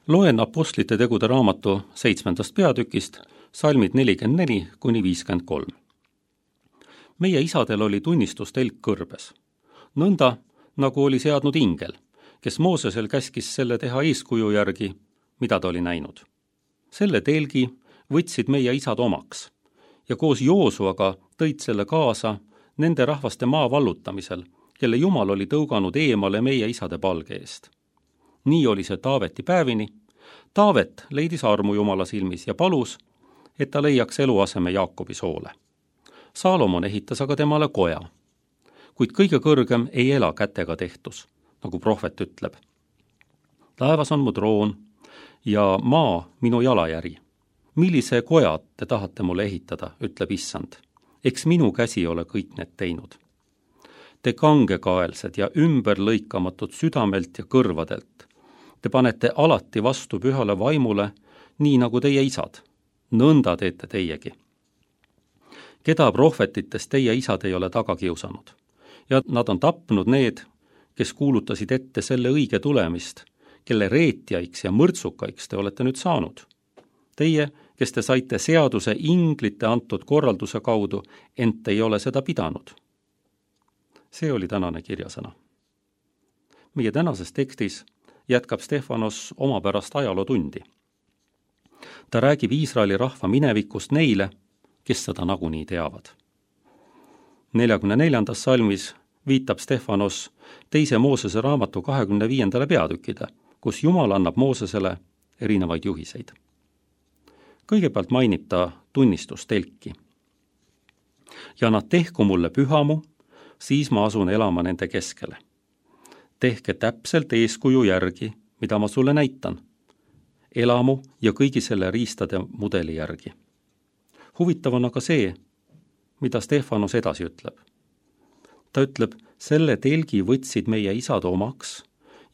Loen Apostlite tegude raamatu 7. peatükist, salmid 44–53. Meie isadel oli tunnistustelk kõrbes, nõnda nagu oli seadnud ingel, kes Moosesel käskis selle teha eeskuju järgi, mida ta oli näinud. Selle telgi võtsid meie isad omaks ja koos Joosuaga tõid selle kaasa nende rahvaste maa vallutamisel, kelle Jumal oli tõuganud eemale meie isade palge eest. Nii oli see Taaveti päevini. Taavet leidis armu Jumala silmis ja palus, et ta leiaks eluaseme Jaakobi soole. Saalomon ehitas aga temale koja, kuid kõige kõrgem ei ela kätega tehtus, nagu prohvet ütleb. Taevas on mu troon ja maa minu jalajäri. Millise koja te tahate mulle ehitada, ütleb issand. Eks minu käsi ole kõik need teinud. Te kangekaelsed ja ümberlõikamatud südamelt ja kõrvadelt. Te panete alati vastu pühale vaimule, nii nagu teie isad. Nõnda teete teiegi. Keda prohvetitest teie isad ei ole taga kiusanud? Ja nad on tapnud need, kes kuulutasid ette selle õige tulemist, kelle reetjaiks ja mõrtsukaiks te olete nüüd saanud. Teie, kes te saite seaduse inglite antud korralduse kaudu, ent ei ole seda pidanud. See oli tänane kirjasõna. Meie tänases tekstis jätkab Stefanos omapärast ajalootundi. Ta räägib Iisraeli rahva minevikust neile, kes seda nagunii teavad. 44. salmis viitab Stefanos 2. Moosese raamatu 25. peatükkide, kus Jumal annab Moosesele erinevaid juhiseid. Kõigepealt mainib ta tunnistustelki. Ja nad tehku mulle pühamu, siis ma asun elama nende keskele. Tehke täpselt eeskuju järgi, mida ma sulle näitan. Elamu ja kõigi selle riistade mudeli järgi. Huvitav on aga see, mida Stefanos edasi ütleb. Ta ütleb, selle telgi võtsid meie isad omaks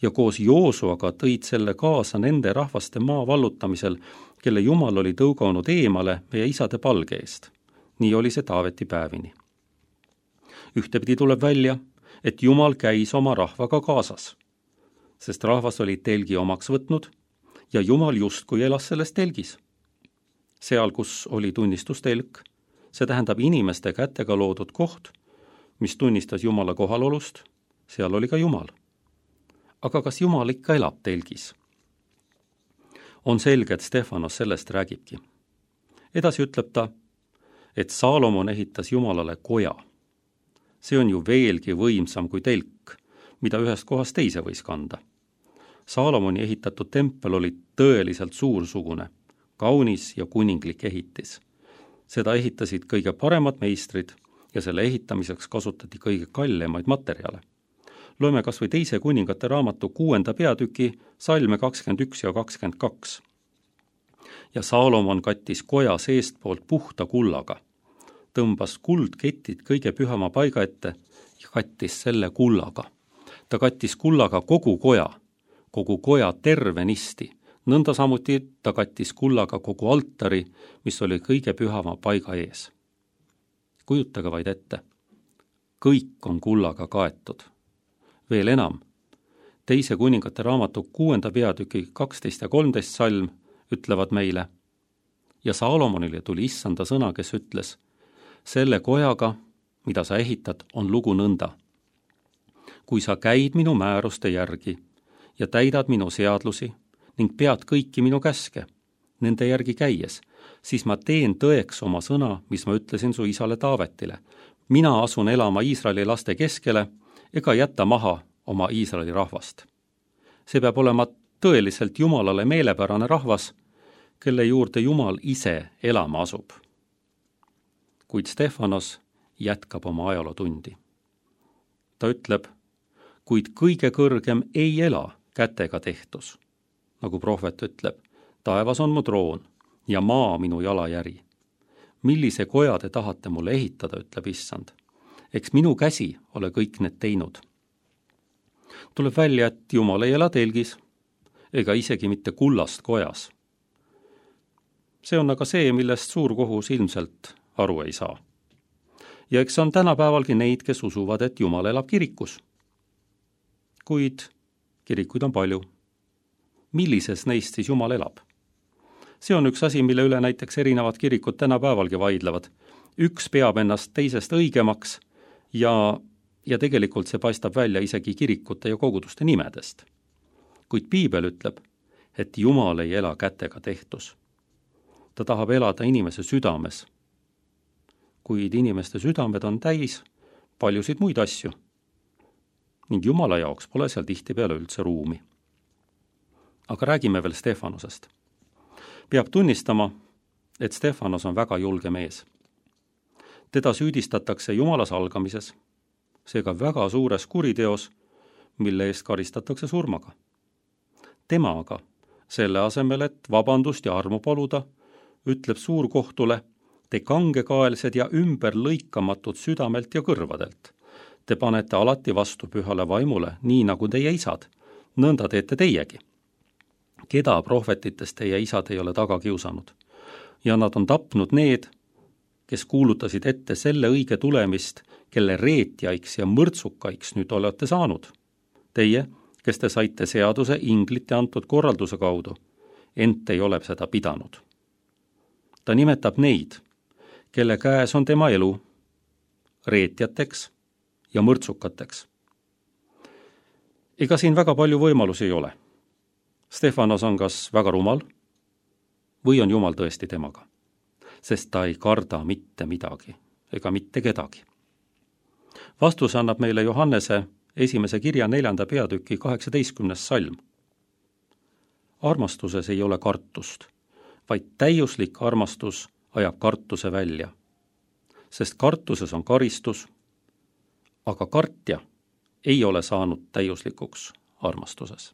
ja koos Joosuaga tõid selle kaasa nende rahvaste maa vallutamisel, kelle Jumal oli tõuganud eemale meie isade palge eest. Nii oli see Taaveti päevini. Ühtepidi tuleb välja, et Jumal käis oma rahvaga kaasas, sest rahvas oli telgi omaks võtnud ja Jumal justkui elas selles telgis. Seal, kus oli tunnistustelk, see tähendab inimeste kätega loodud koht, mis tunnistas Jumala kohalolust, seal oli ka Jumal. Aga kas Jumal ikka elab telgis? On selge, et Stefanos sellest räägibki. Edasi ütleb ta, et Saalomon ehitas Jumalale koja. See on ju veelgi võimsam kui telk, mida ühest kohast teise võis kanda. Saalomoni ehitatud tempel oli tõeliselt suursugune, kaunis ja kuninglik ehitis. Seda ehitasid kõige paremad meistrid ja selle ehitamiseks kasutati kõige kallemaid materjale. Loeme kas või 2. kuningate raamatu 6. peatüki salme 21 ja 22. Ja Saalomon kattis koja seestpoolt puhta kullaga, tõmbas kuldketid kõige pühama paiga ette ja kattis selle kullaga. Ta kattis kullaga kogu koja tervenisti. Nõnda samuti ta kattis kullaga kogu altari, mis oli kõige pühama paiga ees. Kujutage vaid ette. Kõik on kullaga kaetud. Veel enam, 2. kuningate raamatu 6. peatüki 12 ja 13 salm ütlevad meile. Ja Saalomonile tuli issanda sõna, kes ütles, selle kojaga, mida sa ehitad, on lugu nõnda. Kui sa käid minu määruste järgi ja täidad minu seadlusi ning pead kõiki minu käske, nende järgi käies, siis ma teen tõeks oma sõna, mis ma ütlesin su isale Taavetile. Mina asun elama Iisraeli laste keskele ega jätta maha oma Iisraeli rahvast. See peab olema tõeliselt Jumalale meelepärane rahvas, kelle juurde Jumal ise elama asub. Kuid Stefanos jätkab oma ajalootundi. Ta ütleb, kuid kõige kõrgem ei ela kätega tehtus. Nagu prohvet ütleb, taevas on mu troon ja maa minu jalajäri. Millise koja te tahate mulle ehitada, ütleb issand. Eks minu käsi ole kõik need teinud. Tuleb välja, et Jumal ei ela telgis ega isegi mitte kullast kojas. See on aga see, millest suurkohus ilmselt aru ei saa. Ja eks on tänapäevalgi neid, kes usuvad, et Jumal elab kirikus. Kuid kirikuid on palju. millises neist siis Jumal elab. See on üks asi, mille üle näiteks erinevad kirikud tänapäevalgi vaidlevad. Üks peab ennast teisest õigemaks ja tegelikult see paistab välja isegi kirikute ja koguduste nimedest. Kuid Piibel ütleb, et Jumal ei ela kätega tehtus. Ta tahab elada inimese südames. Kuid inimeste südamed on täis paljusid muid asju. Ning Jumala jaoks pole seal tihtipeale üldse ruumi. Aga räägime veel Stefanosest. Peab tunnistama, et Stefanos on väga julge mees. Teda süüdistatakse Jumala salgamises, seega väga suures kuriteos, mille eest karistatakse surmaga. Tema aga, selle asemel, et vabandust ja armu paluda, ütleb suurkohtule, te kangekaelsed ja ümberlõikamatud südamelt ja kõrvadelt. Te panete alati vastu pühale vaimule, nii nagu teie isad. Nõnda teete teiegi. Keda prohvetitest teie isad ei ole taga kiusanud? Ja nad on tapnud need, kes kuulutasid ette selle õige tulemist, kelle reetjaiks ja mõrtsukaiks nüüd olete saanud. Teie, kes te saite seaduse inglite antud korralduse kaudu, ent ei ole seda pidanud. Ta nimetab neid, kelle käes on tema elu, reetjateks ja mõrtsukateks. Ega siin väga palju võimalusi ei ole. Stefanos on kas väga rumal või on Jumal tõesti temaga, sest ta ei karda mitte midagi ega mitte kedagi. Vastus annab meile Johannese 1. kirja 4. peatüki 18. salm. Armastuses ei ole kartust, vaid täiuslik armastus ajab kartuse välja, sest kartuses on karistus, aga kartja ei ole saanud täiuslikuks armastuses.